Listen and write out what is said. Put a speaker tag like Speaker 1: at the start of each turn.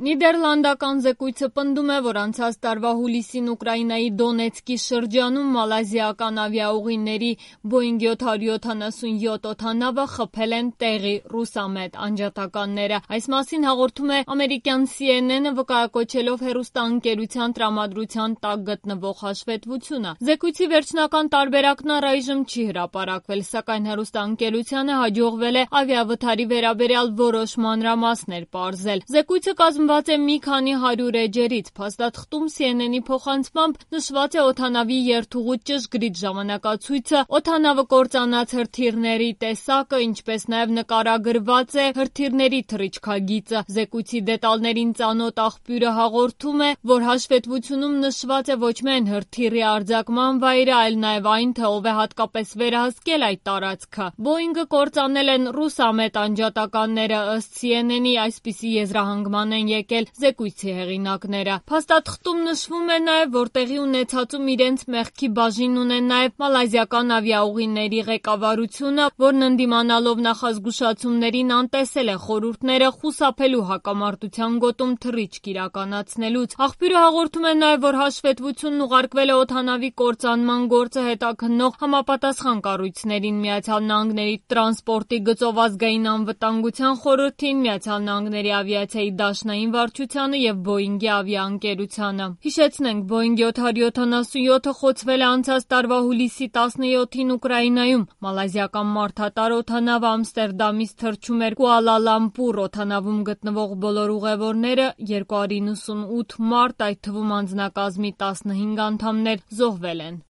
Speaker 1: Նիդերլանդական զեկույցը պնդում է, որ անցած տարվա հուլիսին Ուկրաինայի Դոնեցկի շրջանում մալազիական ավիաուղիների Boeing 777 օդանավը խփել են տեղի ռուսամետ անջատականները։ Այս մասին հաղորդում է ամերիկյան CNN-ը, վկայակոչելով հեռուստաընկերության տրամադրության տակ գտնվող հաշվետվությունը։ Զեկույցի վերջնական տարբերակն առայժմ չի հրապարակվել, սակայն հեռուստաընկերությանը հաջողվել է ավիավթարի վերաբերյալ որոշ մանրամասներ պարզել։ Զեկույցը կազմված է մի քանի 100 էջերից։ Փաստաթղթում CNN-ի փոխանցմամբ նշված է օդանավի երթուղու ճշգրիտ ժամանակացույցը, օդանավը կործանած հրթիռների տեսակը, ինչպես նաև նկարագրված է հրթիռների թռիչքագիծը։ Զեկույցի դետալներին ծանոթ աղբյուրը հաղորդում է, որ հաշվետվությունում նշված է ոչ միայն հրթիռի արձակման վայրը, այլ նաև այն, թե ով է հատկապես վերահսկել այդ տարածքը։ Boeing-ը կործանել են ռուսամետ անջատականները, ըստ CNN-ի, այսպիսի եզրահանգման են եկել զեկույցի հեղինակները։ Փաստաթղթում նշվում է նաև, որ տեղի ունեցածում իրենց մեղքի բաժին ունեն նաև մալազիական ավիաուղիների ղեկավարությունը, որն ընդդիմանալով նախազգուշացումներին անտեսել է խորհուրդները խուսափելու հակամարտության գոտում թռիչք իրականացնելուց։ Աղբյուրը հաղորդում է նաև, որ հաշվետվությունն ուղարկվել է օդանավի կործանման գործը հետաքննող համապատասխան կառույցներին, ԱՄՆ-ի տրանսպորտի գծով ազգային անվտանգության խորհրդին, ԱՄՆ-ի ավիացիայի դաշնային վարչությանը և Boeing-ի ավիաընկերությանը։ Հիշեցնենք, Boeing 777-ը խոցվել է անցած տարվա հուլիսի 17-ին Ուկրաինայում։ Մալազիական մարդատար օդանավը Ամստերդամից թռչում էր Կուալա Լամպուր։ Օդանավում գտնվող բոլոր ուղևորները 298 մարդ, այդ թվում անձնակազմի 15 անդամներ, զոհվել են։